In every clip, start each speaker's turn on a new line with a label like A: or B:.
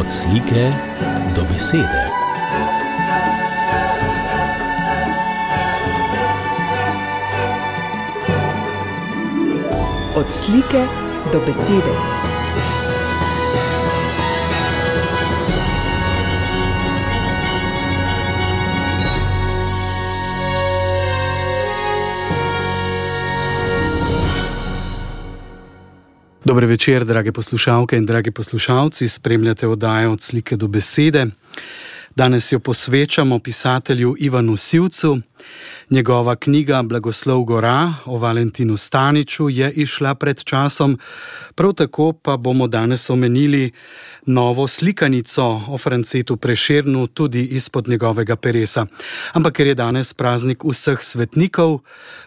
A: Od slike do besede.
B: Od slike do besede.
C: Dober večer, drage poslušalke in dragi poslušalci, spremljate oddajo Od slike do besede. Danes jo posvečamo pisatelju Ivanu Sivcu. Njegova knjiga Blagoslov gora o Valentinu Staniču je izšla pred časom. Prav tako pa bomo danes omenili novo slikanico o Francetu Prešernu tudi izpod njegovega peresa. Ampak ker je danes praznik vseh svetnikov,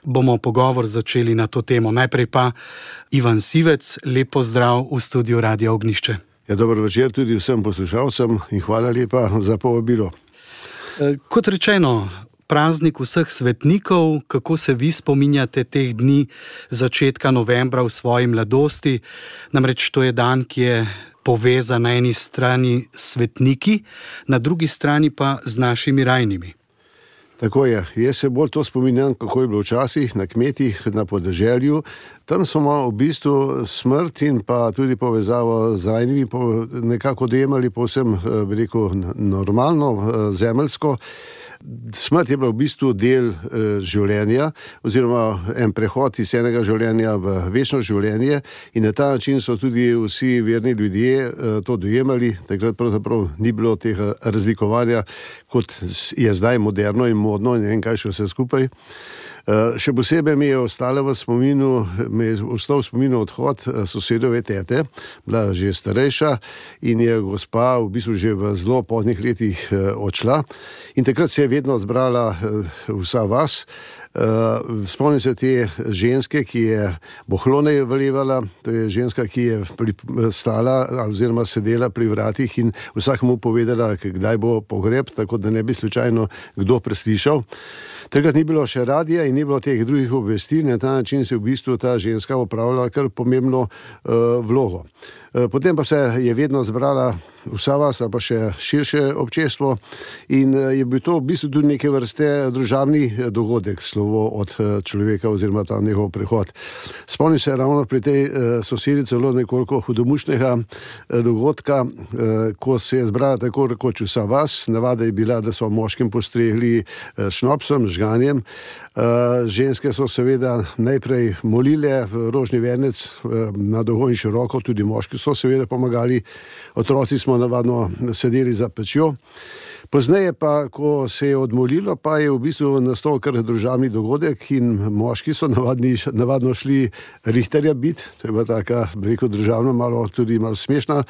C: bomo pogovor začeli na to temo. Najprej pa Ivan Sivec, lep pozdrav v studiu Radia Ognjišče.
D: Ja, dober večer tudi vsem poslušalcem in hvala lepa za povabilo.
C: Kot rečeno, praznik vseh svetnikov, kako se vi spominjate teh dni začetka novembra v svoji mladosti? Namreč to je dan, ki je povezan na eni strani s svetniki, na drugi strani pa z našimi rajnimi.
D: Tako je. Jaz se bolj to spominjam, kako je bilo včasih na kmetih, na podeželju. Tam smo v bistvu smrt in pa tudi povezavo z rajnimi nekako dojemali povsem, bi rekel, normalno, zemeljsko. Smrt je bila v bistvu del življenja oziroma en prehod iz enega življenja v večno življenje in na ta način so tudi vsi verni ljudje to dojemali. Takrat pravzaprav ni bilo tega razlikovanja, kot je zdaj moderno in modno in ne vem kaj še vse skupaj. Še posebej mi je ostal v spominu odhod sosedove tete, bila že starejša in je gospa v bistvu že v zelo poznih letih odšla in takrat se je vedno zbrala vsa vas. Spomnim se te ženske, ki je bohlone vlevala, to je ženska, ki je stala oziroma sedela pri vratih in vsakemu povedala, kdaj bo pogreb, tako da ne bi slučajno kdo preslišal. Takrat ni bilo še radija in ni bilo teh drugih obvestil, na ta način se v bistvu ta ženska opravljala kar pomembno vlogo. Potem pa se je vedno zbrala vsa vas, pa še širše občestvo in je bil to v bistvu tudi neke vrste družabni dogodek, slovo od človeka oziroma ta njegov prehod. Spomnim se ravno pri tej sosedi celo nekoliko hudomušnega dogodka, ko se je zbrala tako rekoč vsa vas. Navada je bila, da so moškim postregli šnopsom, žganjem. Ženske so seveda najprej molile v rožni venec na dolgo in široko, tudi moški so seveda pomagali, otroci smo navadno sedeli za pečjo. Pozneje pa, ko se je odmolilo, pa je v bistvu nastal kar družabni dogodek in moški so navadno šli rihterja bit, to je bila taka, rekel, državna, tudi malo smešna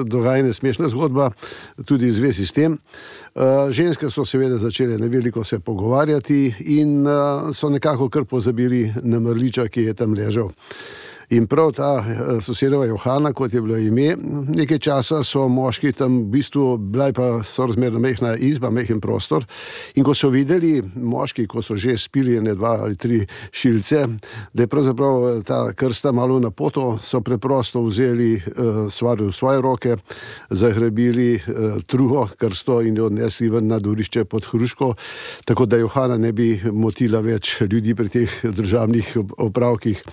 D: dogajanje, smešna zgodba, tudi v zvezi s tem. Ženske so seveda začele neveliko se pogovarjati in so nekako kar pozabili na mrliča, ki je tam ležal. In prav ta sosedova Johana, kot je bilo ime, nekaj časa so moški tam v bistvu, bila pa sorazmerno mehna izba, mehen prostor in ko so videli moški, ko so že spili ene 2 ali 3 šilce, da je pravzaprav ta krsta malo na poto, so preprosto vzeli stvar v svoje roke, zagrebili truho krsto in jo odnesli ven na dvorišče pod hruško, tako da Johana ne bi motila več ljudi pri teh državnih opravkih.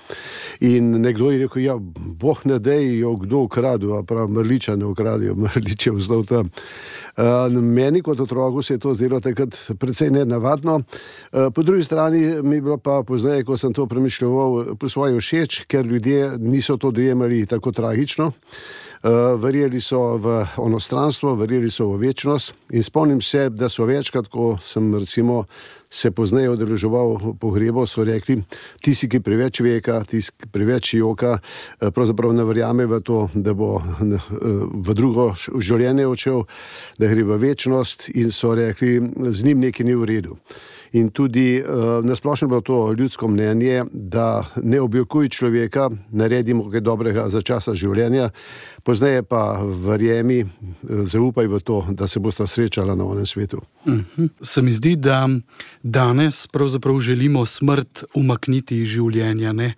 D: In nekdo je rekel, ja, boh ne dej jo kdo ukradil, a prav mrliča ne ukradijo, mrlič je vzdal tam. Meni kot otroku se je to zdelo takrat precej nenavadno. Po drugi strani mi je bilo pa pozneje, ko sem to premišljeval, po svoje všeč, ker ljudje niso to dojemali tako tragično. Verjeli so v onostranstvo, verjeli so v večnost in spomnim se, da so večkrat, ko sem recimo se pozneje udeleževal pogrebov, so rekli, tisti, ki preveč veka, tisti, ki preveč joka, pravzaprav ne verjame v to, da bo v drugo življenje odšel, da gre v večnost in so rekli, z njim nekaj ni v redu. In tudi nasplošno bilo to ljudsko mnenje, da ne objokuj človeka, naredimo kaj dobrega za časa življenja, pozneje pa verjemi, zaupaj v to, da se bosta srečala na onem svetu.
C: Se mi zdi, da danes pravzaprav želimo smrt umakniti iz življenja, ne?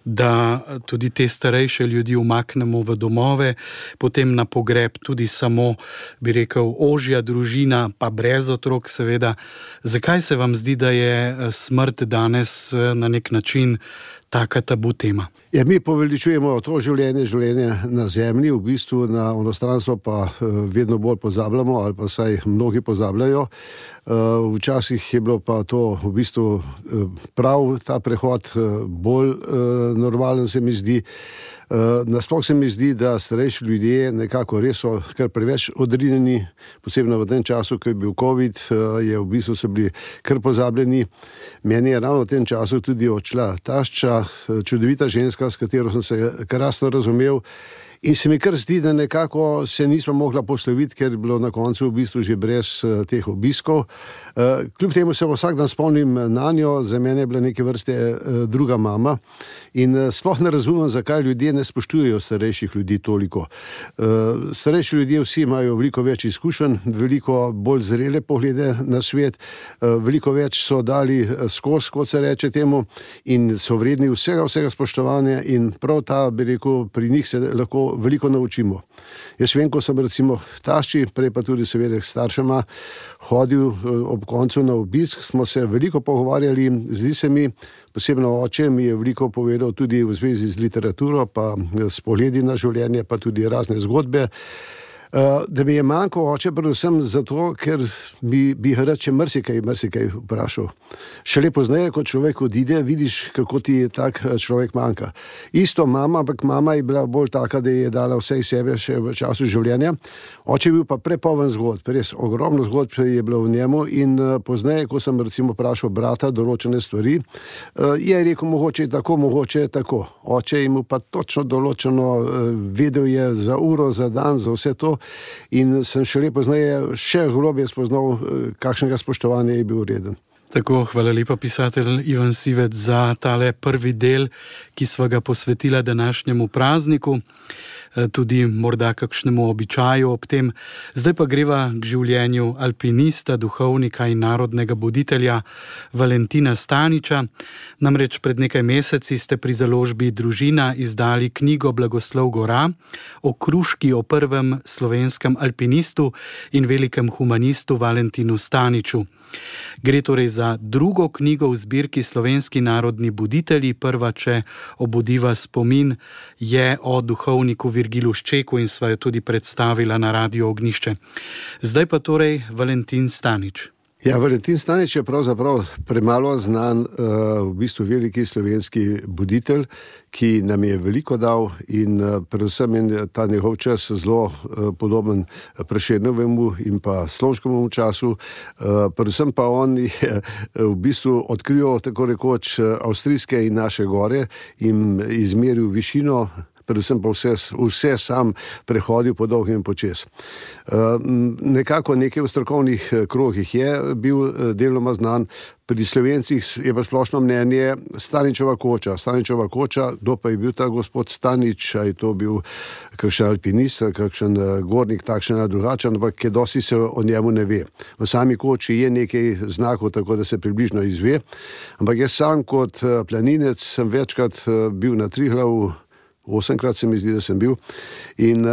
C: Da tudi te starejše ljudi umaknemo v domove, potem na pogreb tudi samo, bi rekel, ožja družina, pa brez otrok seveda. Zakaj se vam zdi, da je smrt danes na nek način taka tabu tema?
D: Ja, mi poveličujemo to življenje na zemlji, v bistvu na onostranstvo pa vedno bolj pozabljamo, ali pa saj mnogi pozabljajo. Včasih je bilo pa to v bistvu prav ta prehod bolj normalen, se mi zdi. Nasploh se mi zdi, da starejši ljudje nekako res so kar preveč odrinjeni, posebno v tem času, ko je bil COVID, je v bistvu so bili kar pozabljeni. Meni je ravno v tem času tudi odšla tašča, čudovita ženska, s katero sem se krasno razumel. In se mi kar zdi, da nekako se nismo mogla posloviti, ker je bilo na koncu v bistvu že brez teh obiskov. Kljub temu se vsak dan spomnim na njo, za mene je bila neke vrste druga mama in sploh ne razumem, zakaj ljudje ne spoštujejo starejših ljudi toliko. Starejši ljudje vsi imajo veliko več izkušenj, veliko bolj zrele poglede na svet, veliko več so dali skozi, kot se reče temu, in so vredni vsega spoštovanja in prav ta, bi rekel, pri njih se lahko veliko naučimo. Jaz vem, ko sem recimo tašči, prej pa tudi seveda staršema, hodil ob koncu na obisk, smo se veliko pogovarjali, zdi se mi, posebno oče mi je veliko povedal tudi v zvezi z literaturo, pa s pogledi na življenje, pa tudi razne zgodbe. Da mi je manjko oče predvsem zato, ker bi rad še marsikaj vprašal. Šele pozneje, ko človek odide, vidiš, kako ti tak človek manjka. Isto mama, ampak mama je bila bolj taka, da je dala vse iz sebe še v času življenja. Oče je bil pa prepoln zgodb, res ogromno zgodb je bilo v njemu in pozneje, ko sem recimo vprašal brata določene stvari, je rekel mogoče tako. Oče je mu pa točno določeno, vedel je za uro, za dan, za vse to. In sem šele pozneje še globje spoznal, kakšnega spoštovanja je bil vreden.
C: Tako, hvala lepa pisatelj Ivan Sivec za tale prvi del, ki sva ga posvetila današnjemu prazniku, tudi morda kakšnemu običaju ob tem. Zdaj pa greva k življenju alpinista, duhovnika in narodnega buditelja Valentina Staniča. Namreč pred nekaj meseci ste pri založbi Družina izdali knjigo Blagoslov gora o kruški, o prvem slovenskem alpinistu in velikem humanistu Valentinu Staniču. Gre torej za drugo knjigo v zbirki Slovenski narodni buditelji. Prva, če obudiva spomin, je o duhovniku Virgilu Ščeku in sva jo tudi predstavila na Radiu Ognjišče. Zdaj pa torej Valentin Stanič.
D: Ja, Valentin Stanič je pravzaprav premalo znan, v bistvu veliki slovenski buditelj, ki nam je veliko dal in predvsem je ta njegov čas zelo podoben Prešernovemu in pa Slomškovemu času. Predvsem pa on je v bistvu odkril tako rekoč avstrijske in naše gore in izmeril višino, predvsem pa vse sam prehodil po dolgem in počez. Nekako nekaj v strokovnih krogih je bil deloma znan, pri Slovencih je pa splošno mnenje Staničeva koča. Staničeva koča, kdo pa je bil ta gospod Stanič, a je to bil kakšen alpinist, kakšen gornik, takšen ali drugačen, ampak kaj dosti se o njemu ne ve. V sami koči je nekaj znakov, tako da se približno izve, ampak jaz sam kot planinec sem večkrat bil na Triglavu, 8krat se mi zdi, da sem bil in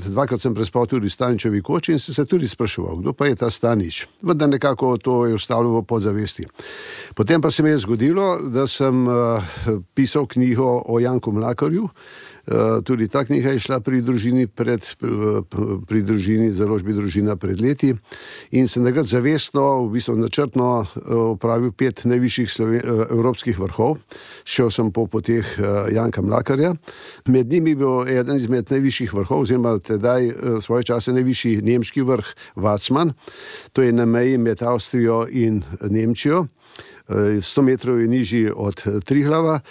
D: dvakrat sem prespal tudi v Staničevi koči in sem se tudi spraševal, kdo pa je ta Stanič. Vendar nekako to je ostalo v podzavesti. Potem pa se mi je zgodilo, da sem pisal knjigo o Janku Mlakarju. Tudi ta knjiga je šla pri družini, založbi Družina pred leti in sem takrat zavestno, v bistvu načrtno opravil 5 najvišjih evropskih vrhov. Šel sem po poteh Janka Mlakarja. Med njimi je bil eden izmed najvišjih vrhov, oziroma tedaj svoje čase najvišji nemški vrh Vacman. To je na meji med Avstrijo in Nemčijo. 100 metrov je nižji od Triglava.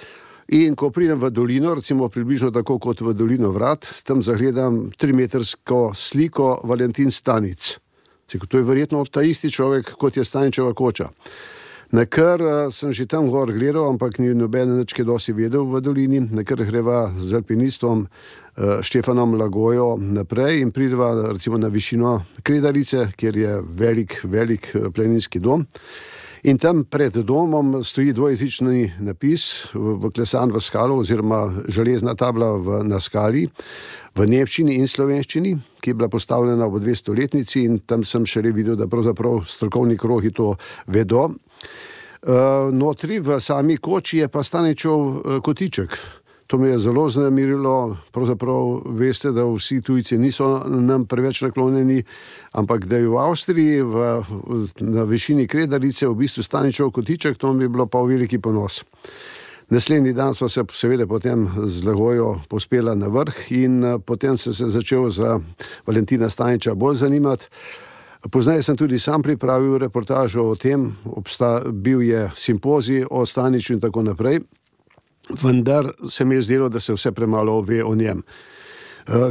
D: In ko pridem v dolino, recimo približno tako kot v dolino Vrat, tam zagledam 3-metrsko sliko Valentin Stanič. To je verjetno ta isti človek, kot je Staničeva koča. Nakar sem že tam gor gledal, ampak ni noben nič kaj dosti vedel v dolini, nakar greva z alpinistom Štefanom Lagojo naprej in prideva recimo na višino Kredarice, kjer je velik planinski dom. In tam pred domom stoji dvojezični napis, vklesan v skalo oziroma železna tabla na skali, v nemščini in slovenščini, ki je bila postavljena ob 200-letnici in tam sem šele videl, da pravzaprav strokovni krogi to vedo. Notri v sami koči je pa Staničev kotiček. To me je zelo znamirilo, pravzaprav veste, da vsi tujci niso nam preveč naklonjeni, ampak da je v Avstriji na višini Kredarice v bistvu Staničev kotiček, to mi je bilo pa v veliki ponos. Naslednji dan smo se seveda potem z Lagojo pospela na vrh in potem sem se začel za Valentina Staniča bolj zanimati. Poznaj sem tudi sam pripravil reportažo o tem, bil je simpozij o Staniču in tako naprej, vendar se mi je zdelo, da se vse premalo ve o njem.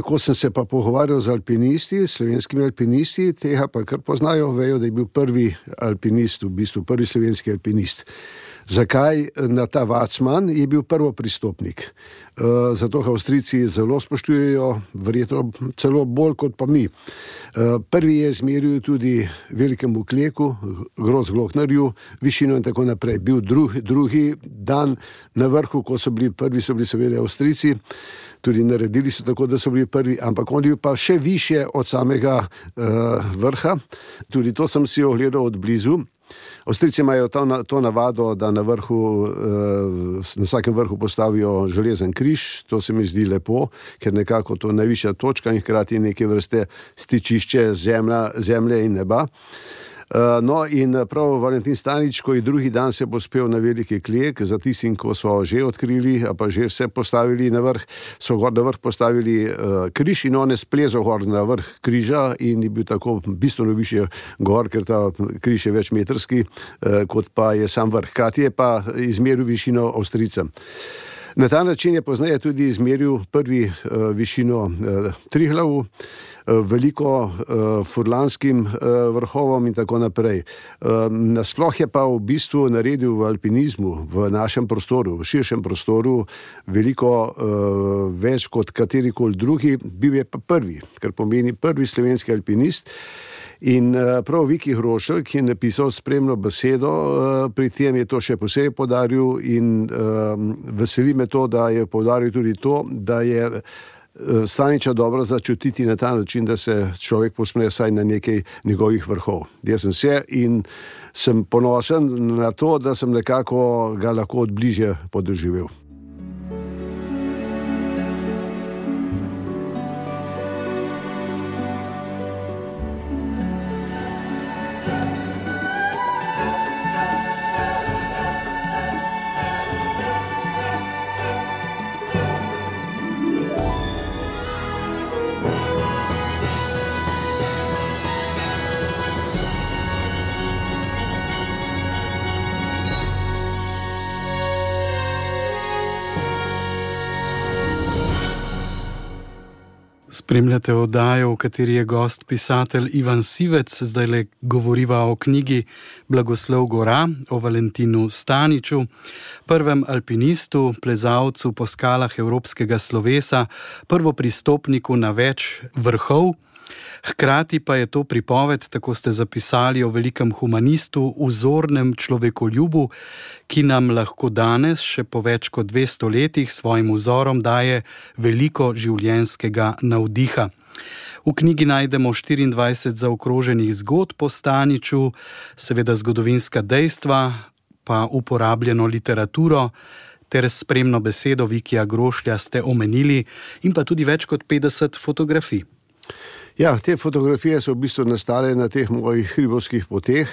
D: Ko sem se pa pogovarjal z alpinisti, slovenskimi alpinisti, tega pa kar poznajo, vejo, da je bil prvi alpinist, v bistvu prvi slovenski alpinist. Zakaj? Na ta Vacman je bil prvopristopnik. Zato ga Avstrijci zelo spoštujejo, verjetno celo bolj kot pa mi. Prvi je izmeril tudi velikemu Kleku, Grossglocknerju, višino in tako naprej. Bil drugi dan na vrhu, ko so bili prvi, so bili seveda Avstrijci, tudi naredili so tako, da so bili prvi, ampak on je pa še više od samega vrha. Tudi to sem si ogledal od blizu. Avstrijci imajo to navado, da na vsakem vrhu postavijo železen križ. To se mi zdi lepo, ker nekako to je najvišja točka in hkrati neke vrste stičišče zemlje in neba. No in prav Valentin Stanič, ko je drugi dan se pospel na veliki Klek, za tistim, ko so že odkrili, pa že vse postavili na vrh, so gor na vrh postavili križ in on je splezal gor na vrh križa in je bil tako bistveno više gor, ker ta križ je večmetrski, kot pa je sam vrh. Hkrati je pa izmeril višino Avstrijcem. Na ta način je pozneje tudi izmeril prvi višino Triglavu, veliko furlanskim vrhovom in tako naprej. Nasploh je pa v bistvu naredil v alpinizmu, v našem prostoru, v širšem prostoru, veliko več kot katerikoli drugi, bil je pa prvi, kar pomeni prvi slovenski alpinist. In prav Viki Hrošelj, ki je napisal spremno besedo, pri tem je to še posebej poudaril in veseli me to, da je poudaril tudi to, da je Staniča dobro začutiti na ta način, da se človek posmre vsaj na nekaj njegovih vrhov. Jaz sem se in sem ponosen na to, da sem nekako ga lahko od bližje podoživel.
C: Spremljate oddajo, v kateri je gost pisatelj Ivan Sivec. Zdajle govoriva o knjigi Blagoslov gora, o Valentinu Staniču, prvem alpinistu, plezalcu po skalah evropskega slovesa, prvopristopniku na več vrhov. Hkrati pa je to pripoved, tako ste zapisali, o velikem humanistu, vzornem človekoljubu, ki nam lahko danes, še po več kot 200 letih, svojim vzorom daje veliko življenjskega navdiha. V knjigi najdemo 24 zaokroženih zgodb o Staniču, seveda zgodovinska dejstva, pa uporabljeno literaturo, ter spremno besedo Vikija Grošlja ste omenili in pa tudi več kot 50 fotografij.
D: Ja, te fotografije so v bistvu nastale na teh mojih hribovskih poteh.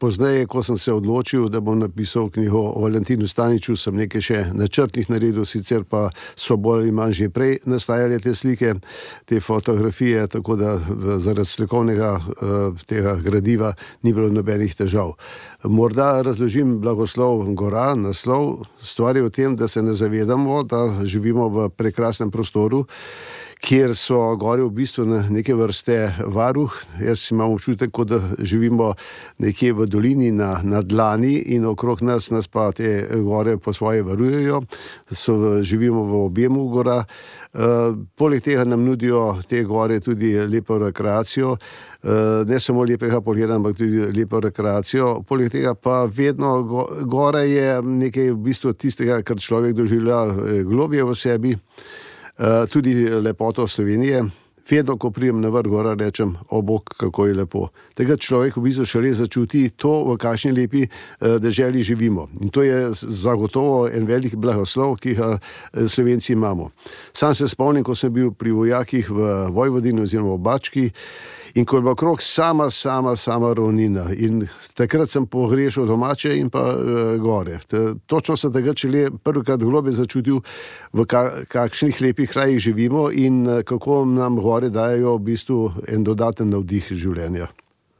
D: Pozneje, ko sem se odločil, da bom napisal knjigo o Valentinu Staniču, sem nekaj še načrtnih naredil, sicer pa so bolj ali manj že prej nastajale te slike, te fotografije, tako da zaradi slikovnega tega gradiva ni bilo nobenih težav. Morda razložim Blagoslov gora, naslov. Stvar je v tem, da se ne zavedamo, da živimo v prekrasnem prostoru, kjer so gore v bistvu neke vrste varuh. Jaz imam občutek, kot da živimo nekje v dolini na dlani in okrog nas pa te gore po svoje varujejo, živimo v objemu gora. Poleg tega nam nudijo te gore tudi lepo rekreacijo, ne samo lepega pogleda, ampak tudi lepo rekreacijo. Poleg tega pa vedno gora je nekaj v bistvu tistega, kar človek doživlja globje v sebi, tudi lepoto Slovenije. Vedno, ko prijem na vrh gora, rečem, o bog, kako je lepo. Takrat človek v bistvu šele začuti to, v kakšni lepi deželi živimo. In to je zagotovo en velik blagoslov, ki ga Slovenci imamo. Sam se spomnim, ko sem bil pri vojakih v Vojvodini oziroma v Bački, in ko je bila okrog sama ravnina. In takrat sem pogrešal domače in pa gore. Točno sem takrat šele prvikrat globe začutil, v kakšnih lepih krajih živimo in kako nam gore dajo v bistvu en dodaten navdih življenja.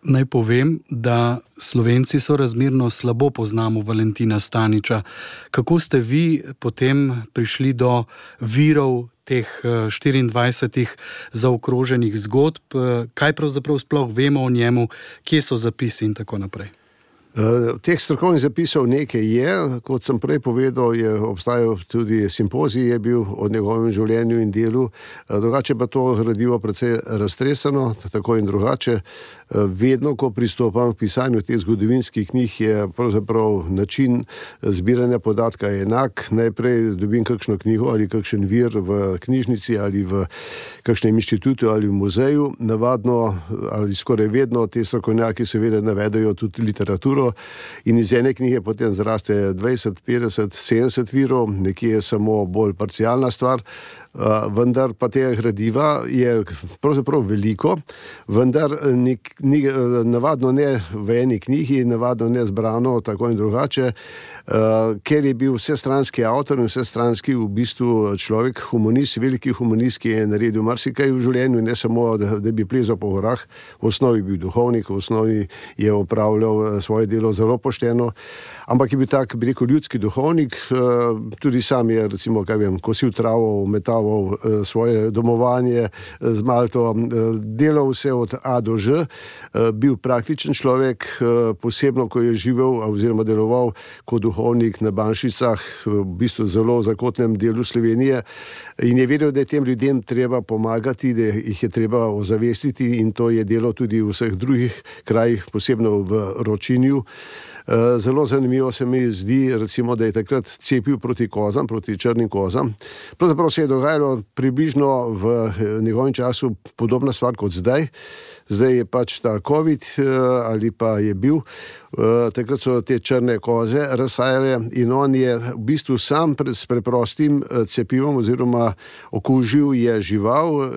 C: Naj povem, da Slovenci sorazmerno slabo poznamo Valentina Staniča. Kako ste vi potem prišli do virov teh 24 zaokroženih zgodb? Kaj pravzaprav sploh vemo o njemu, kje so zapisi in tako naprej?
D: Teh strokovnih zapisov nekaj je, kot sem prej povedal, je obstajal tudi simpozij, je bil o njegovem življenju in delu, drugače pa to gradivo precej raztreseno, tako in drugače. Vedno, ko pristopam k pisanju teh zgodovinskih knjig, je pravzaprav način zbiranja podatka enak. Najprej dobim kakšno knjigo ali kakšen vir v knjižnici ali v kakšnem inštitutu ali v muzeju. Navadno ali skoraj vedno te strokovnjaki seveda navedajo tudi literaturo in iz ene knjige potem zraste 20, 50, 70 virov, nekje je samo bolj parcialna stvar. Vendar pa tega gradiva je pravzaprav veliko, vendar navadno ne v eni knjigi, navadno ne zbrano tako in drugače, ker je bil vsestranski avtor in vsestranski v bistvu človek, humanist, veliki humanist, ki je naredil marsikaj v življenju, ne samo, da bi plezal po gorah, v osnovi bil duhovnik, v osnovi je opravljal svoje delo zelo pošteno, ampak je bil tak, bi rekel, ljudski duhovnik, tudi sam je, recimo, kosil travo, metaval svoje domovanje z Malto, delal vse od A do Ž, bil praktičen človek, posebno, ko je živel oziroma deloval kot duhovnik na Banšicah, v bistvu zelo zakotnem delu Slovenije, in je vedel, da je tem ljudem treba pomagati, da jih je treba ozavestiti, in to je delo tudi v vseh drugih krajih, posebno v Ročinju. Zelo zanimivo se mi zdi, recimo, da je takrat cepil proti kozam, proti črnim kozam. Pravzaprav se je dogajalo približno v njegovem času podobna stvar kot zdaj. Zdaj je pač ta COVID ali pa je bil. Takrat so te črne koze razsajale in on je v bistvu sam s preprostim cepivom oziroma okužil je žival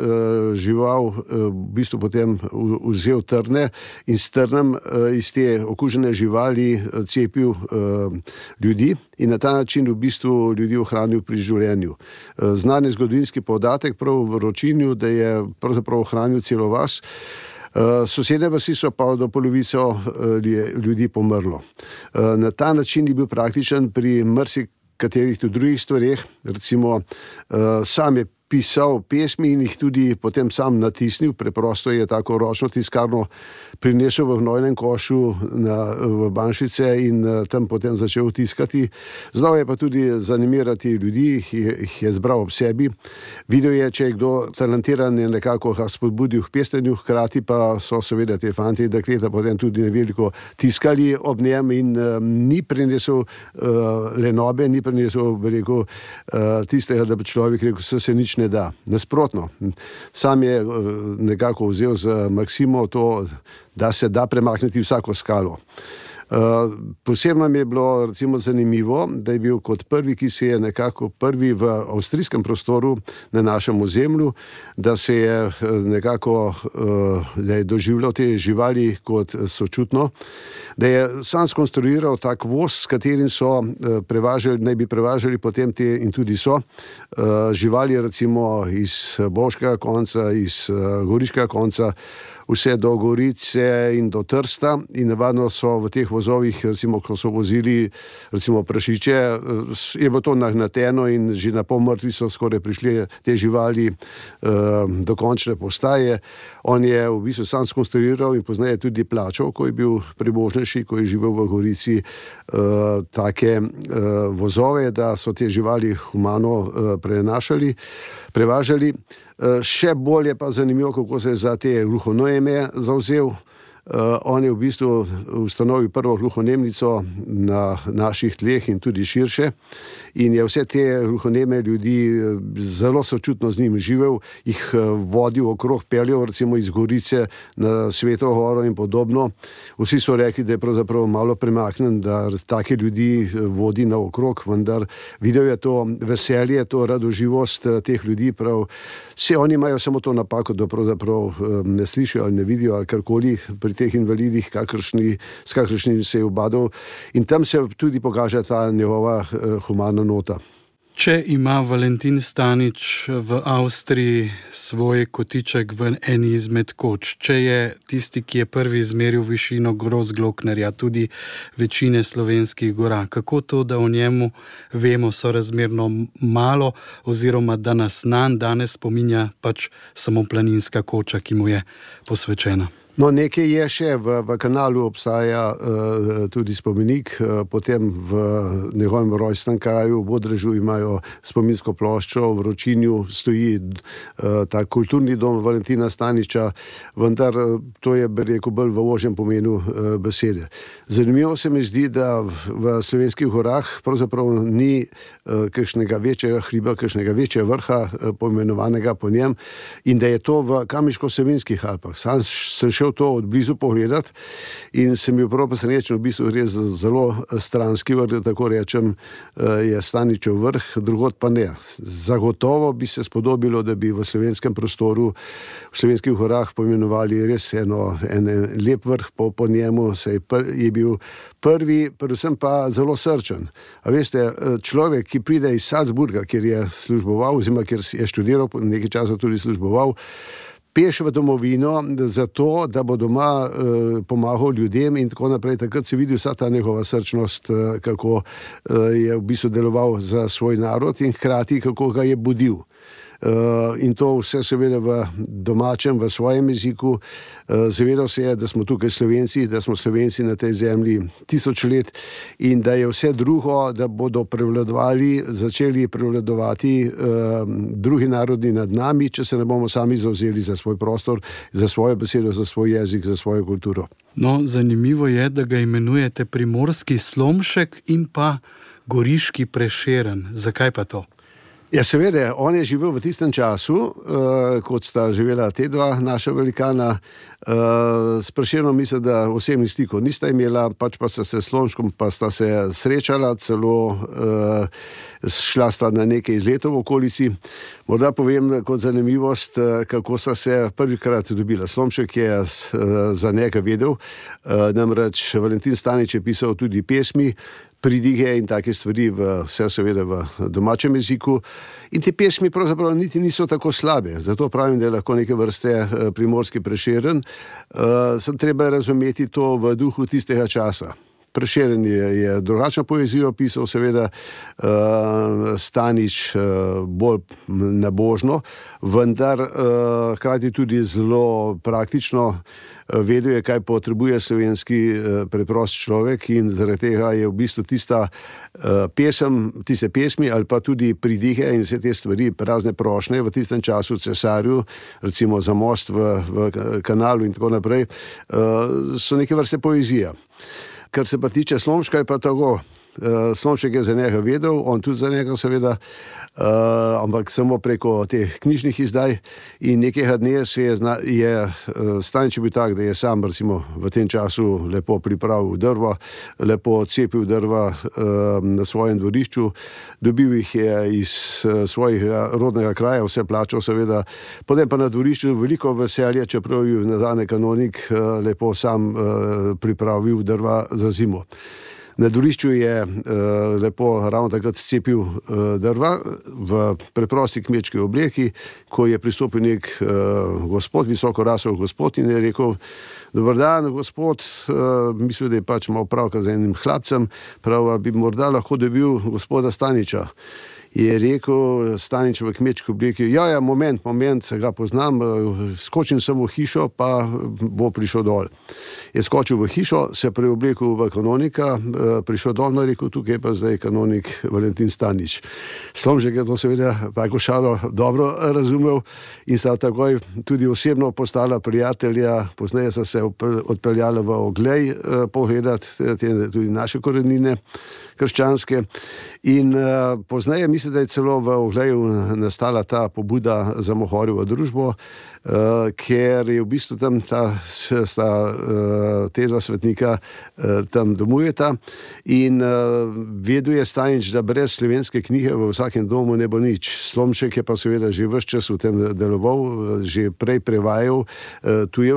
D: v bistvu potem vzel trne in s trnem iz te okužene živali cepil ljudi in na ta način v bistvu ljudi ohranil pri življenju. Znan je zgodovinski podatek prav v Ročinju, da je pravzaprav ohranil celo vas. Sosedne vasi so pa do polovice ljudi pomrlo. Na ta način je bil praktičen pri katerih tudi drugih stvareh, recimo sam je pisal pesmi in jih tudi potem sam natisnil, preprosto je tako ročno tiskarno prinesel v gnojnem košu v Banšice in tam potem začel tiskati. Znal je pa tudi zanimirati ljudi, jih je zbral ob sebi. Videl je, če je kdo talentiran in nekako ga spodbudil k pesnenju, hkrati pa so seveda te fanti in dekleta potem tudi neveliko tiskali ob njem in ni prinesel lenobe, ni prinesel, bi rekel, tistega, da bi človek rekel, se nič ne da. Nasprotno. Sam je nekako vzel z maksimo to, da se da premakniti vsako skalo. Posebno mi je bilo recimo zanimivo, da je bil kot prvi, ki se je nekako prvi v avstrijskem prostoru na našem ozemlju, da se je nekako da je doživljal te živali kot sočutno, da je sam skonstruiral tak voz, s katerim so naj bi prevažali potem te in tudi so živali recimo iz Bovškega konca, iz Goriškega konca vse do Gorice in do Trsta in navadno so v teh vozovih, recimo, ko so vozili recimo prašiče, je bilo to nagnateno in že na pol mrtvi so skoraj prišli te živali do končne postaje. On je v bistvu sam skonstruiral in poznaje tudi plačal, ko je bil premožnejši, ko je živel v Gorici, take vozove, da so te živali humano prevažali. Še bolje pa zanimivo, kako se je za te gluhoneme zavzel. On je v bistvu ustanovil prvo gluhonemnico na naših tleh in tudi širše in je vse te gluhoneme ljudi zelo sočutno z njim živel, jih vodil okrog, peljal recimo iz Gorice na Sveto Goro in podobno. Vsi so rekli, da je pravzaprav malo premaknen, da take ljudi vodi naokrog, vendar videl je to veselje, to radoživost teh ljudi, prav vse oni imajo samo to napako, da pravzaprav ne slišijo ali ne vidijo ali karkoli pri teh invalidih, s kakršnim se je ubadal, in tam se tudi pokaže ta njegova humana nota.
C: Če ima Valentin Stanič v Avstriji svoj kotiček v eni izmed koč, če je tisti, ki je prvi izmeril višino Grossglocknerja, tudi večine slovenskih gora, kako to, da o njemu vemo sorazmerno malo, oziroma da nas danes spominja pač samo planinska koča, ki mu je posvečena?
D: No, nekaj je še, v Kanalu obstaja tudi spomenik, potem v njegovem rojstnem kraju, v Bodrežu imajo spominsko ploščo, v Vročinju stoji ta kulturni dom Valentina Staniča, vendar to je, bi rekel, bolj v ožjem pomenu besede. Zanimivo se mi zdi, da v slovenskih gorah pravzaprav ni kakšnega večjega hriba, kakšnega večjega vrha poimenovanega po njem in da je to v Kamniško-Savinjskih Alpah. Sam sem šel to od blizu pogledati in sem bil prav presenečen, v bistvu res zelo stranski vrh, da tako rečem, je Staničev vrh, drugod pa ne. Zagotovo bi se spodobilo, da bi v slovenskem prostoru, v slovenskih gorah poimenovali res en lep vrh po njemu, saj je bil prvi, predvsem pa zelo srčen. A veste, človek, ki pride iz Salzburga, kjer je služboval, oziroma kjer je študiral, nekaj časa tudi služboval, peš v domovino zato, da bo doma pomagal ljudem in tako naprej. Takrat se vidi vsa ta njegova srčnost, kako je v bistvu deloval za svoj narod in hkrati kako ga je budil. In to vse seveda v domačem, v svojem jeziku. Zavedal se je, da smo tukaj Slovenci, da smo Slovenci na tej zemlji 1000 let in da je vse drugo, da bodo začeli prevladovati drugi narodi nad nami, če se ne bomo sami zavzeli za svoj prostor, za svojo besedo, za svoj jezik, za svojo kulturo.
C: No, zanimivo je, da ga imenujete primorski Slomšek in pa goriški Prešeren. Zakaj pa to?
D: Ja, seveda, on je živel v tistem času, kot sta živela te dva naša velikana. S Prešernom mislim, da osebnih stikov nista imela, pač pa sta se s Slomškom pa sta se srečala, celo šla sta na nekaj izletov v okolici. Morda povem kot zanimivost, kako sta se prvikrat dobila. Slomšek je za njega vedel, namreč Valentin Stanič je pisal tudi pesmi, pridige in take stvari, vse seveda v domačem jeziku. In te pesmi pravzaprav niti niso tako slabe. Zato pravim, da je lahko neke vrste primorski Prešeren. Sem treba razumeti to v duhu tistega časa. Prešeren je drugačno poezijo pisal, seveda Stanič bolj nabožno, vendar hkrati tudi zelo praktično. Vedel je, kaj potrebuje slovenski preprost človek in zaradi tega je v bistvu tiste pesmi ali pa tudi pridihe in vse te stvari, razne prošnje v tistem času cesarju, recimo za most v Kanalu in tako naprej, so neke vrste poezija. Kar se pa tiče Slomška, je pa tako. Slomšek je za njega vedel, on tudi za njega seveda, ampak samo preko teh knjižnih izdaj in nekega dne je Stanič bil tak, da je sam recimo v tem času lepo pripravil drva, lepo cepil drva na svojem dvorišču, dobil jih je iz svojega rodnega kraja, vse plačal seveda, potem pa na dvorišču veliko veselje, čeprav je nazadnje kanonik lepo sam pripravil drva za zimo. Na dvorišču je lepo ravno takrat scepil drva v preprosti kmečki obleki, ko je pristopil nek gospod, visoko rasel gospod in je rekel: "Dober dan, gospod, mislil, da je pač malo pravka z enim hlapcem, prav bi morda lahko dobil gospoda Staniča." Je rekel Stanič v kmečki obleki: ja, moment, se ga poznam, skočim sem v hišo, pa bo prišel dol. Je skočil v hišo, se preoblekel v kanonika, prišel dol, no, rekel: tukaj pa zdaj kanonik Valentin Stanič. Slomšek je to seveda tako šalo dobro razumel in sta takoj tudi osebno postala prijatelja, pozneje sta se odpeljala v Oglej pogledat tudi naše korenine krščanske in pozneje mislim, da je celo v Ogleju nastala ta pobuda za Mohorjevo družbo, ker je v bistvu tam te dva svetnika tam domujeta in vedel je Stanič, da brez slovenske knjige v vsakem domu ne bo nič. Slomšek je pa seveda že ves čas v tem deloval, že prej prevajal tuje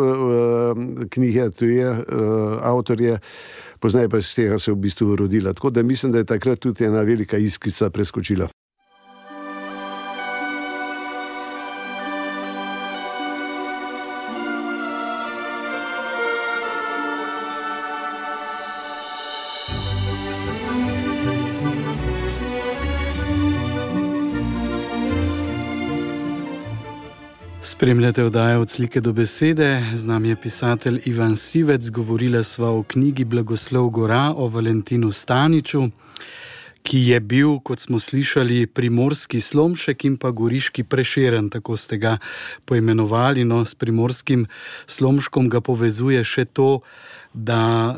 D: knjige, tuje avtorje, poznaj pa iz tega se v bistvu rodila. Tako da mislim, da je takrat tudi ena velika iskrica preskočila.
C: Spremljate oddajo Od slike do besede, z nami je pisatelj Ivan Sivec, govorila sva o knjigi Blagoslov Gora o Valentinu Staniču, ki je bil, kot smo slišali, primorski Slomšek in pa goriški Prešeren, tako ste ga poimenovali. No, s primorskim Slomškom ga povezuje še to, da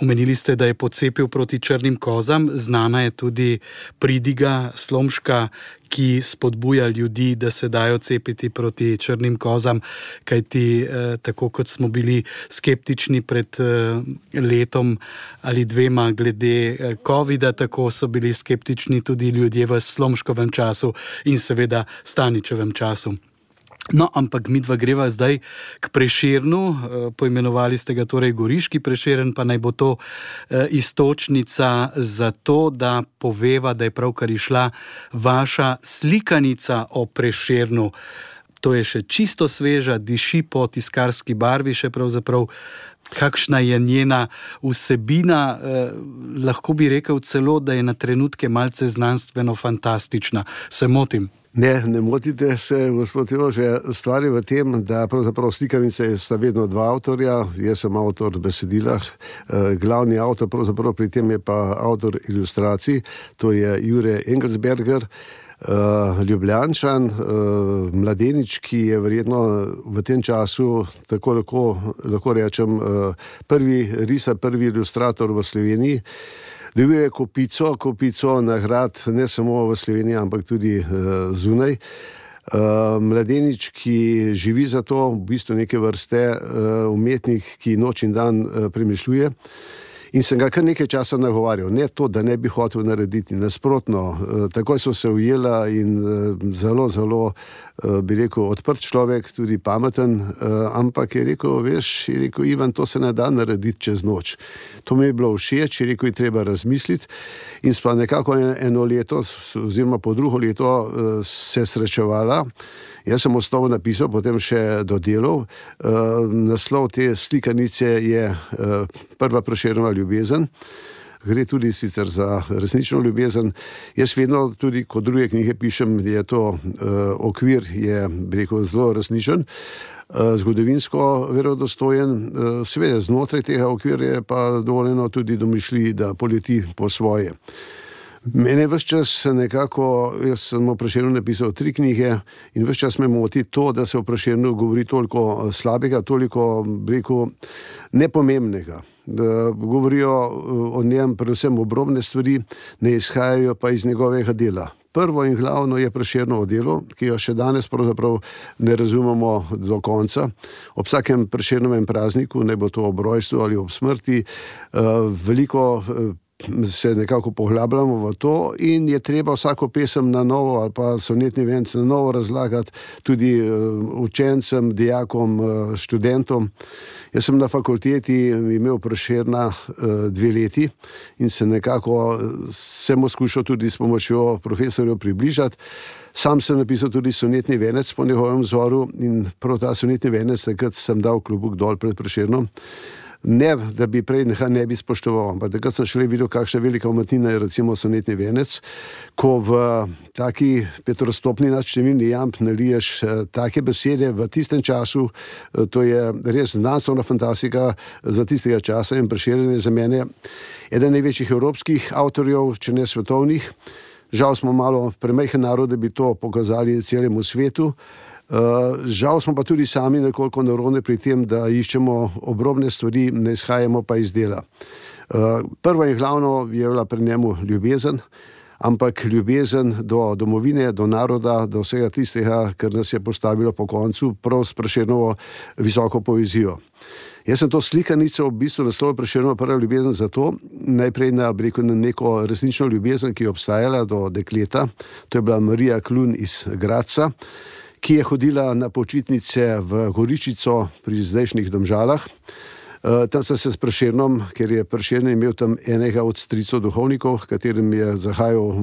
C: omenili ste, da je pocepil proti črnim kozam. Znana je tudi pridiga Slomška, ki spodbuja ljudi, da se dajo cepiti proti črnim kozam, kajti tako kot smo bili skeptični pred letom ali dvema glede covida, tako so bili skeptični tudi ljudje v Slomškovem času in seveda Staničevem času. No, ampak midva greva zdaj k Prešernu, poimenovali ste ga torej goriški Prešeren, pa naj bo to iztočnica za to, da poveva, da je pravkar išla vaša slikanica o Prešernu. To je še čisto sveža, diši po tiskarski barvi, še pravzaprav kakšna je njena vsebina, lahko bi rekel celo, da je na trenutke malce znanstveno fantastična. Se motim?
D: Ne motite se, gospod Jože. Stvar je v tem, da pravzaprav slikanice sta vedno dva avtorja. Jaz sem avtor besedila, glavni avtor pravzaprav pri tem je pa avtor ilustracij, to je Jure Engelsberger, Ljubljančan, mladenič, ki je verjetno v tem času, tako lahko rečem, prvi risar, prvi ilustrator v Sloveniji. Dobil je kopico nagrad, ne samo v Sloveniji, ampak tudi zunaj. Mladenič, ki živi za to, v bistvu neke vrste umetnik, ki noč in dan premišljuje. In sem ga kar nekaj časa nagovarjal. Ne to, da ne bi hotel narediti, nasprotno. Takoj so se ujela in zelo, bi rekel, odprt človek, tudi pameten, ampak je rekel, Ivan, to se ne da narediti čez noč. To mi je bilo všeč, je rekel, je treba razmisliti. In sva nekako eno leto, oziroma po drugo leto se srečevala. Jaz sem osnovo napisal, potem še dodelal. Naslov te slikanice je Prva Prešernova ljubezen. Gre tudi sicer za resnično ljubezen. Jaz vedno tudi, ko druge knjige pišem, je to okvir, je, bi rekel, zelo resničen, zgodovinsko verodostojen. Seveda znotraj tega okvirja je pa dovoljeno tudi domišljiji, da poleti po svoje. Mene ves čas nekako, jaz sem o Prešernu napisal 3 knjige in ves čas me moti to, da se o Prešernu govori toliko slabega, toliko, bi rekel, nepomembnega. Da govorijo o njem predvsem obrobne stvari, ne izhajajo pa iz njegovega dela. Prvo in glavno je Prešernovo delo, ki jo še danes pravzaprav ne razumemo do konca. Ob vsakem Prešernovem prazniku, ne bo to ob rojstvu ali ob smrti, veliko se nekako poglabljamo v to in je treba vsako pesem na novo ali pa sonetni venec na novo razlagati tudi učencem, dijakom, študentom. Jaz sem na fakulteti imel Prešerna 2 leti in se nekako mu skušal tudi s pomočjo profesorjev približati. Sam sem napisal tudi sonetni venec po njegovem vzoru in prav ta sonetni venec takrat sem dal klobuk dol pred Prešernom. Ne, da bi prej ne bi spoštoval, ampak takrat sem šele videl, kakšna velika umetnina je recimo sonetni venec, ko v taki petrostopni nadštevilni jamb naliješ take besede v tistem času, to je res znanstvena fantastika za tistega časa in Prešeren je za mene eden največjih evropskih avtorjev, če ne svetovnih. Žal smo malo premajhen narod, da bi to pokazali celemu svetu. Žal smo pa tudi sami nekoliko nerodni pri tem, da iščemo obrobne stvari, ne izhajamo pa iz dela. Prvo in glavno je bila pri njemu ljubezen, ampak ljubezen do domovine, do naroda, do vsega tistega, kar nas je postavilo po koncu, prav s Prešernovo visoko poezijo. Jaz sem to slikanico v bistvu naslovil Prešernovo prva ljubezen zato, najprej na neko resnično ljubezen, ki je obstajala do dekleta, to je bila Marija Klun iz Gradca, ki je hodila na počitnice v Goričico pri zdajšnjih Domžalah. Tam sem se s Prešernom, ker je Prešeren imel tam enega od stricev duhovnikov, katerim je zahajal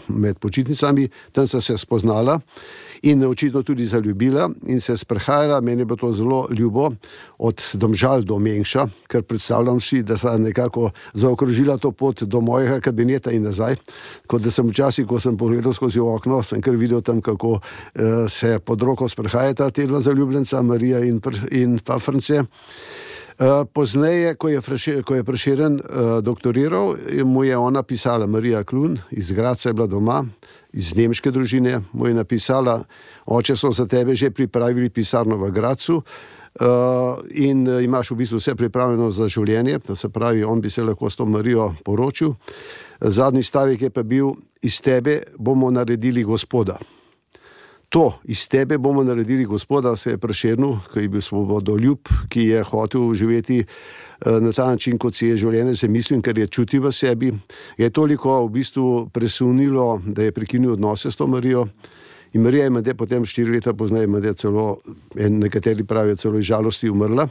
D: med počitnicami, tam sem se spoznala in očitno tudi zaljubila in se sprehajala. Meni je bilo to zelo ljubo od Domžal do Mengša, ker predstavljam si, da sem nekako zaokrožila to pot do mojega kabineta in nazaj, kot da sem včasih, ko sem pogledal skozi okno, sem kar videl tam, kako se pod roko sprehajata te dva zaljubljenca, Marija in pa France. Pozneje, ko je Prešeren doktoriral, mu je ona pisala, Marija Klun iz Gradca je bila doma, iz nemške družine, mu je napisala, oče so za tebe že pripravili pisarno v Gradcu in imaš v bistvu vse pripravljeno za življenje, to se pravi, on bi se lahko s to Marijo poročil. Zadnji stavek je pa bil, iz tebe bomo naredili Gospoda. To, iz tebe bomo naredili Gospoda, se je Prešernu, ki je bil svobodoljub, ki je hotel živeti na ta način, kot si je življenje zamislil, ker je čutil v sebi, je toliko v bistvu presunilo, da je prekinil odnose s to Marijo. In Marija je mende potem 4 leta pozneje, mende celo, nekateri pravijo celo iz žalosti umrla.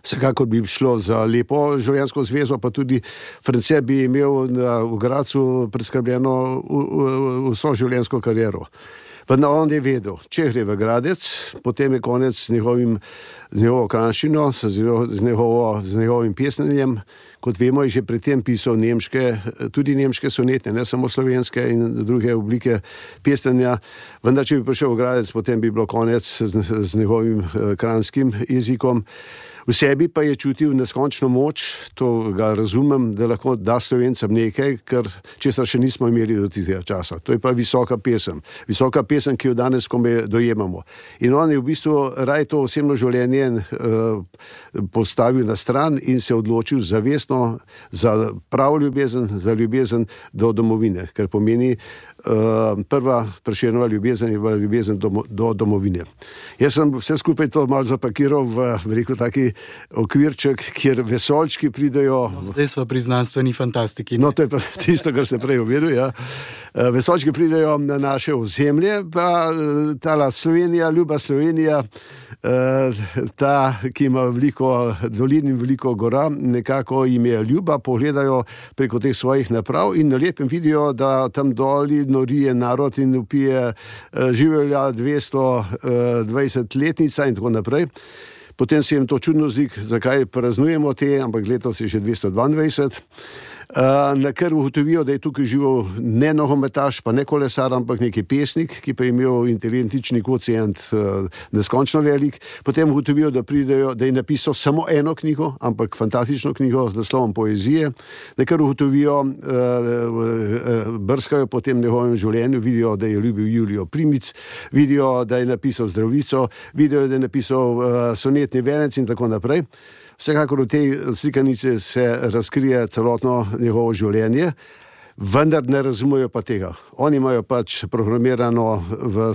D: Vsekakor bi šlo za lepo življenjsko zvezo, pa tudi France bi imel v Gradcu preskrbljeno vso življenjsko kariero. Vendar on je vedel, če gre v Gradec, potem je konec z njegovo kranščino, z njegovim pesnenjem. Kot vemo, je že pri tem pisal tudi nemške sonete, ne samo slovenske in druge oblike pesnenja. Vendar, če bi prišel v Gradec, potem bi bilo konec z njegovim kranjskim jezikom. V sebi pa je čutil neskončno moč, to ga razumem, da lahko da Slovencem nekaj, česar še nismo imeli do tistega časa. To je pa visoka pesem, ki jo danes komaj dojemamo. In on je v bistvu raj to osebno življenje postavil na stran in se odločil zavestno za pravo ljubezen, za ljubezen do domovine, ker pomeni prva Prešernova ljubezen je bila ljubezen do domovine. Jaz sem vse skupaj to malo zapakiral v taki okvirček, kjer vesoljčki pridejo.
C: Zdaj smo pri znanstveni fantastiki.
D: No, to je pa tisto, kar ste prej omenil, ja. Vesoljčki pridejo na naše ozemlje, pa tala Slovenija, ljuba Slovenija, ta, ki ima veliko dolin in veliko gora, nekako jim je ljuba, pogledajo preko teh svojih naprav in na lepem vidijo, da tam doli norije narod in upije življa 220-letnica in tako naprej. Potem se jim to čudno zdi, zakaj praznujemo te, ampak letos je že 222. Na kar ugotovijo, da je tukaj živel ne nogometaš, pa ne kolesar, ampak neki pesnik, ki pa je imel inteligentni kvocient neskončno velik. Potem ugotovijo, da je napisal samo eno knjigo, ampak fantastično knjigo z naslovom Poezije. Na kar ugotovijo, brskajo po tem njegovem življenju, vidijo, da je ljubil Julijo Primic, vidijo, da je napisal Zdravico, vidijo, da je napisal sonetni venec in tako naprej. Vsekakor v tej slikanici se razkrije celotno njegovo življenje. vendar ne razumejo pa tega. Oni imajo pač programirano v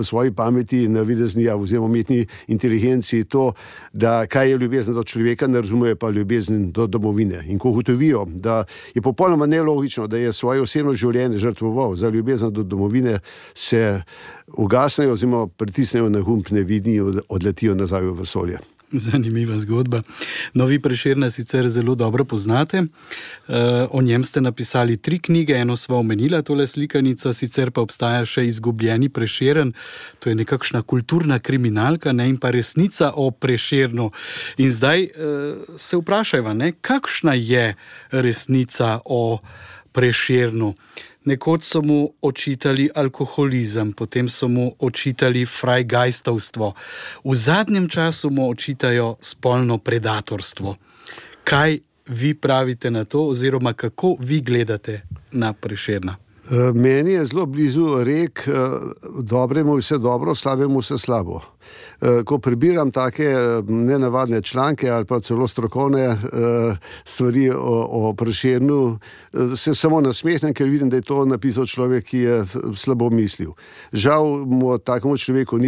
D: svoji pameti, navidezni oziroma umetni inteligenci to, da kaj je ljubezen do človeka, ne razumejo pa ljubezen do domovine. In ko ugotovijo, da je popolnoma nelogično, da je svoje osebno življenje žrtvoval za ljubezen do domovine, se ugasnejo oziroma pritisnejo na gumb nevidni in odletijo nazaj v vesolje.
C: Zanimiva zgodba. No, vi Prešerna sicer zelo dobro poznate. O njem ste napisali 3 knjige, eno sva omenila, tole slikanico, sicer pa obstaja še Izgubljeni Prešeren. To je nekakšna kulturna kriminalka, ne, in pa resnica o Prešernu. In zdaj se vprašajva, ne, kakšna je resnica o Prešernu? Nekoč so mu očitali alkoholizem, potem so mu očitali frajgajstovstvo. V zadnjem času mu očitajo spolno predatorstvo. Kaj vi pravite na to, oziroma kako vi gledate na Prešerna?
D: Meni je zelo blizu rek, dobremu vse dobro, slabemu vse slabo. Ko prebiram take nenavadne članke ali pa celo strokovne stvari o Prešernu, se samo nasmehnem, ker vidim, da je to napisal človek, ki je slabo mislil. Žal mu takemu človeku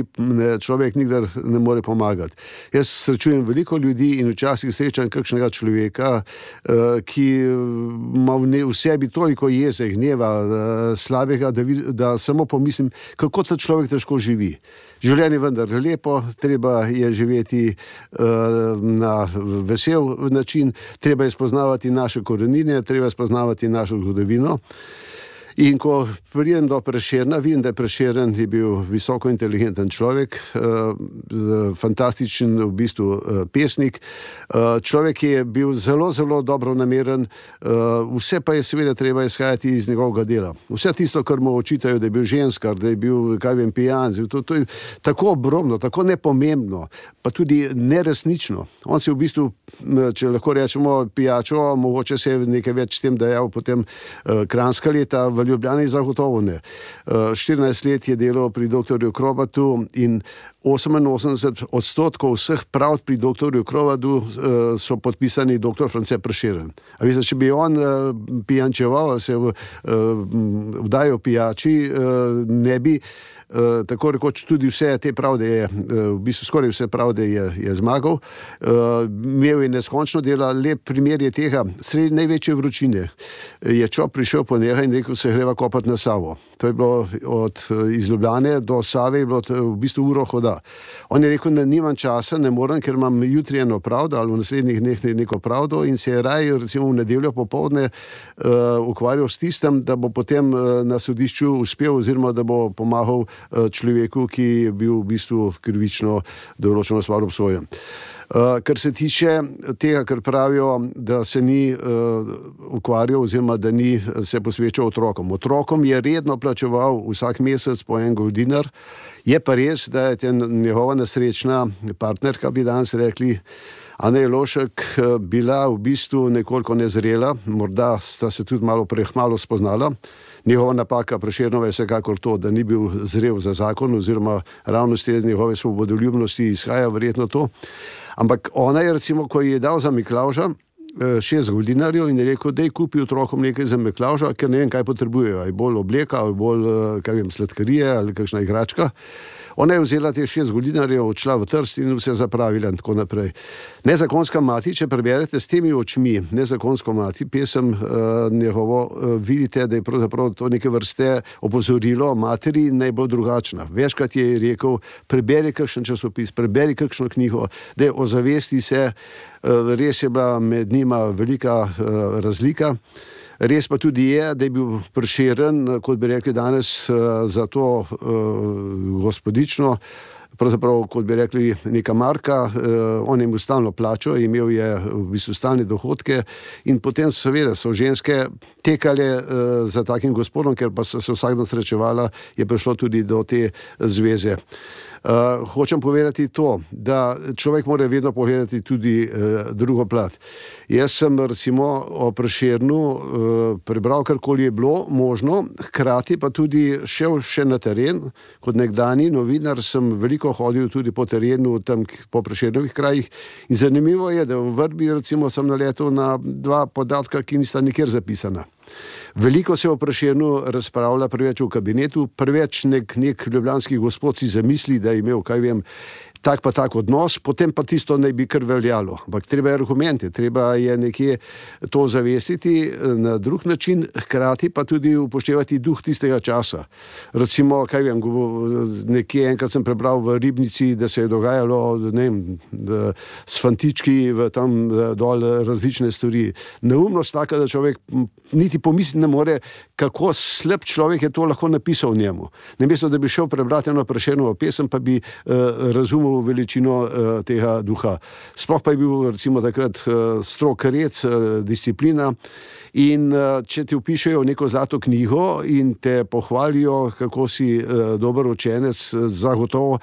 D: človek nikdar ne more pomagati. Jaz srečujem veliko ljudi in včasih srečam kakšnega človeka, ki ima v sebi toliko jeze, gneva, slabega, da samo pomislim, kako ta človek težko živi. Življenje vendar lepo, treba je živeti na vesel način, treba je spoznavati naše korenine, treba je spoznavati našo zgodovino. In ko pridem do Prešerna, vidim, da je Prešeren bil visoko inteligenten človek, fantastičen v bistvu pesnik, človek, ki je bil zelo, zelo dobronameren, vse pa je seveda treba izhajati iz njegovega dela. Vse tisto, kar mu očitajo, da je bil ženskar, da je bil, kaj vem, pijan, to je tako obrobno, tako nepomembno, pa tudi neresnično. On si v bistvu, če lahko rečemo, pijačo, mogoče se je nekaj več s tem dajal potem Kranjska leta, v Ljubljani zagotovo ne. 14 let je delal pri doktorju Krobatu in 88% vseh pravd pri doktorju Krobatu so podpisani doktor France Prešeren. A veste, če bi on pijančeval ali se vdajal pijači, ne bi tako rekoč tudi vse te pravde je, v bistvu skoraj vse pravde je zmagal. Imel je neskončno dela, lep primer je tega, sredi največje vročine je čop prišel po njega in rekel, se greva kopati na Savo. To je bilo iz Ljubljane do Save, je bilo v bistvu uro hoda. On je rekel, da nimam časa, ne morem, ker imam jutri eno pravdo ali v naslednjih dneh neko pravdo, in se je raje recimo v nedeljo popoldne ukvarjal s tistem, da bo potem na sodišču uspel oziroma da bo pomagal človeku, ki je bil v bistvu krivično določeno stvar obsojen. Kar se tiče tega, kar pravijo, da se ni ukvarjal oziroma da ni se posvečal otrokom. Otrokom je redno plačeval vsak mesec po en goldinar. Je pa res, da je njegova nesrečna partnerka, bi danes rekli, Anja Jelovšek, bila v bistvu nekoliko nezrela, morda sta se tudi malo prehmalo spoznala. Njegova napaka Prešernova je vsekakor to, da ni bil zrel za zakon oziroma ravno iz njegove svobodoljubnosti izhaja verjetno to. Ampak ona je recimo, ko je dal za Miklavža 6 goldinarjev in je rekel, daj kupi otrokom nekaj za Miklavža, ker ne vem, kaj potrebujejo, ali bolj obleka, ali bolj, kaj vem, sladkarije ali kakšna igračka. Ona je vzela te 6 goldinarjev, odšla v Trst in vse zapravila in tako naprej. Nezakonska mati, če preberete s temi očmi Nezakonsko mati, pesem njegovo, vidite, da je pravzaprav to neke vrste opozorilo materi naj bo drugačna. Večkrat je rekel, preberi kakšen časopis, preberi kakšno knjigo, da ozavesti se, res je bila med njima velika razlika. Res pa tudi je, da je bil Prešeren, kot bi rekli danes, za to gospodično, pravzaprav, kot bi rekli, neka marka, on je imel stalno plačo, imel je v bistvu stalne dohodke in potem seveda so ženske tekale za takim gospodom, ker pa so se vsak dan srečevala, je prišlo tudi do te zveze. Hočem povedati to, da človek mora vedno pogledati tudi drugo plat. Jaz sem recimo o Prešernu prebral, karkoli je bilo možno, hkrati pa tudi šel še na teren. Kot nekdani novinar sem veliko hodil tudi po terenu, tam po Prešernovih krajih in zanimivo je, da v Vrbi recimo sem naletel na 2 podatka, ki nista nikjer zapisana. Veliko se o Prešernu razpravlja preveč v kabinetu, preveč nek ljubljanski gospod si zamisli, da je imel, tak pa tak odnos, potem pa tisto naj bi kar veljalo. Ampak treba je argumente, treba je nekje to zavestiti na drug način, hkrati pa tudi upoštevati duh tistega časa. Recimo, nekje enkrat sem prebral v Ribnici, da se je dogajalo, s fantički tam dol različne stvari. Neumnost taka, da človek niti pomisliti ne more, kako slab človek je to lahko napisal njemu. Namesto, da bi šel prebrati eno Prešernovo pesem, pa bi razumel veličino tega duha. Sploh pa je bil recimo takrat strog red, disciplina in če ti vpišejo neko zlato knjigo in te pohvalijo, kako si dober učenec, zagotovo,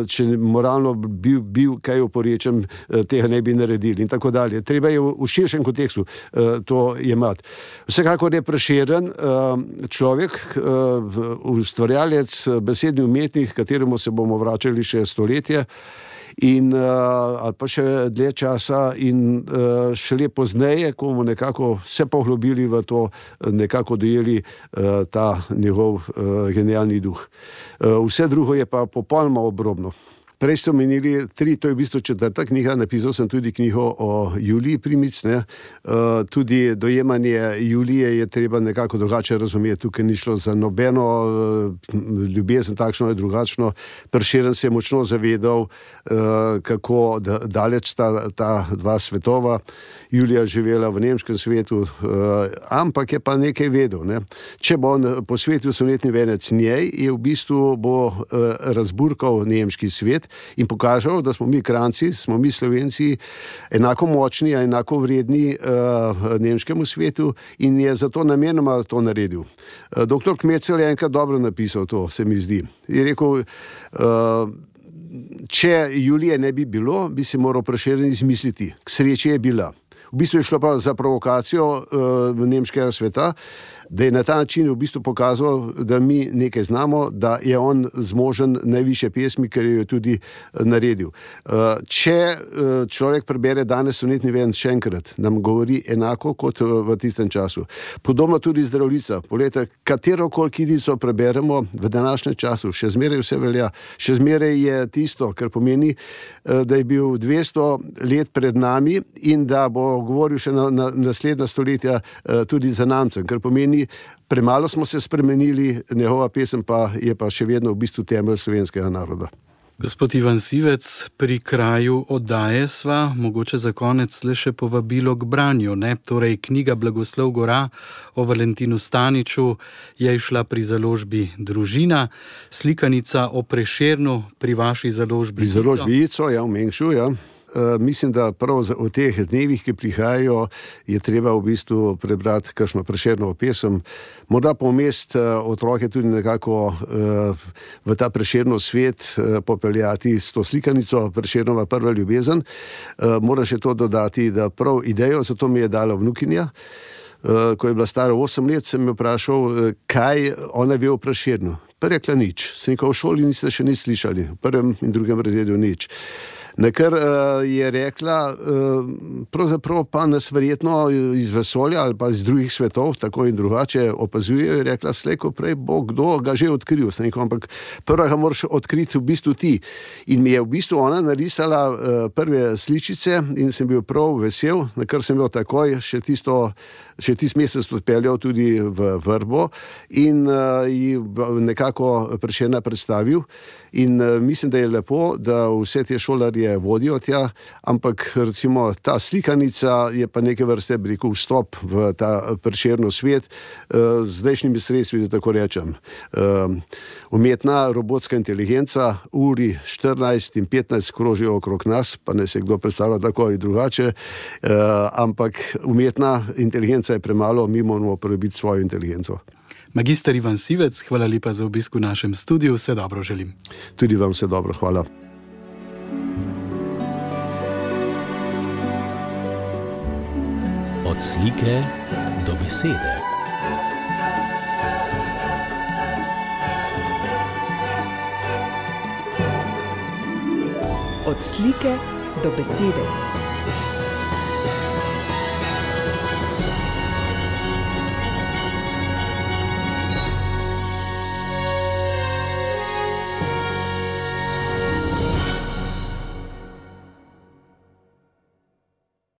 D: če moralno bil kaj oporečen, tega ne bi naredili in tako dalje. Treba je v širšem kontekstu to jemati. Vsekakor je Prešeren človek, ustvarjalec, besedni umetnik, kateremu se bomo vračali še stoletje ali pa še dlje časa in šele pozneje, ko bomo nekako se poglobili v to, nekako dojeli ta njegov genialni duh. Vse drugo je pa popolnoma obrobno. Prej ste omenili 3, to je v bistvu 4. knjiga, napisal sem tudi knjigo o Juliji Primic, tudi dojemanje Julije je treba nekako drugače razumeti, tukaj ni šlo za nobeno ljubezen, takšno je drugačno. Prešeren se je močno zavedal, kako daleč sta ta dva svetova. Julija živela v nemškem svetu, ampak je pa nekaj vedel. Če bo on posvetil sonetni venec njej, je v bistvu bo razburkal nemški svet in pokažal, da smo mi Kranjci, smo mi Slovenci enako močni, enako vredni nemškemu svetu in je zato namenoma to naredil. Dr. Kmetzel je enkrat dobro napisal to, se mi zdi. Je rekel, če Julije ne bi bilo, bi se moral Prešeren izmisliti. K sreči je bila. V bistvu je šlo pa za provokacijo nemškega sveta, da je na ta način v bistvu pokazal, da mi nekaj znamo, da je on zmožen najvišje pesmi, ker jo je tudi naredil. Če človek prebere danes sonetni venec še enkrat, nam govori enako kot v tistem času. Podobno tudi Zdravljica. Poglejte, katerokoli kitico preberemo v današnjem času, še zmeraj vse velja, še zmeraj je tisto, kar pomeni, da je bil 200 let pred nami in da bo govoril še na naslednja stoletja tudi za namcem, kar pomeni, premalo smo se spremenili, njegova pesem pa je pa še vedno v bistvu temelj slovenskega naroda.
C: Gospod Ivan Sivec, pri kraju oddaje sva, mogoče za konec le še povabilo k branju, Torej, knjiga Blagoslov Gora o Valentinu Staniču je išla pri založbi Družina, slikanica o Prešernu pri vaši založbi
D: Pri založbi Ico, v Mengšu, Mislim, da prav v teh dnevih, ki prihajajo, je treba v bistvu prebrati kakšno Prešernovo pesem, morda pomest otroke tudi nekako v ta Prešernov svet popeljati s to slikanico Prešernova prva ljubezen. Moram še to dodati, da prav idejo za to mi je dala vnukinja. Ko je bila stara 8 let, sem jo vprašal, kaj ona ve o Prešernu. Pa rekla nič. Sem rekel, v šoli niste še nič slišali, v 1. in 2. razredu nič. Nakar je rekla, pravzaprav pa nas verjetno iz vesolja ali pa iz drugih svetov, tako in drugače opazujejo, je rekla, slejko prej bo kdo ga že odkril. Sem rekel, ampak prva ga moraš odkriti v bistvu ti. In mi je v bistvu ona narisala prve sličice in sem bil prav vesel, nakar sem bil takoj še tisti mesec odpeljal tudi v Vrbo in ji nekako Prešerna predstavil. In mislim, da je lepo, da vse te šolarje vodijo tja, ampak recimo ta slikanica je pa neke vrste, bi rekel, vstop v ta Prešernov svet z zdajšnjimi sredstvi, da tako rečem. Umetna robotska inteligenca, uri 14 in 15 krožijo okrog nas, pa ne se kdo predstavlja tako ali drugače, ampak umetna inteligenca je premalo, mi moramo uporabiti svojo inteligenco.
C: Magister Ivan Sivec, hvala lepa za obisk v našem studiu, vse dobro želim.
D: Tudi vam vse dobro, hvala.
A: Od slike do besede.
B: Od slike do besede.